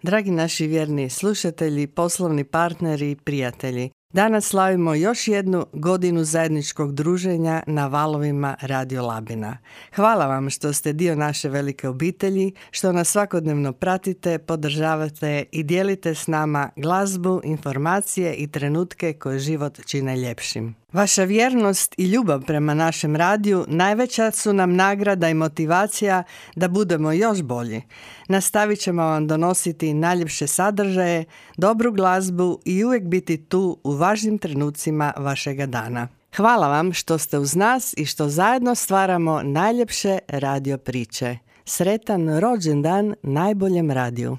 Dragi naši vjerni slušatelji, poslovni partneri i prijatelji, danas slavimo još jednu godinu zajedničkog druženja na valovima Radio Labina. Hvala vam što ste dio naše velike obitelji, što nas svakodnevno pratite, podržavate i dijelite s nama glazbu, informacije i trenutke koje život čine ljepšim. Vaša vjernost i ljubav prema našem radiju najveća su nam nagrada i motivacija da budemo još bolji. Nastavit ćemo vam donositi najljepše sadržaje, dobru glazbu i uvijek biti tu u važnim trenucima vašega dana. Hvala vam što ste uz nas i što zajedno stvaramo najljepše radio priče. Sretan rođendan najboljem radiju!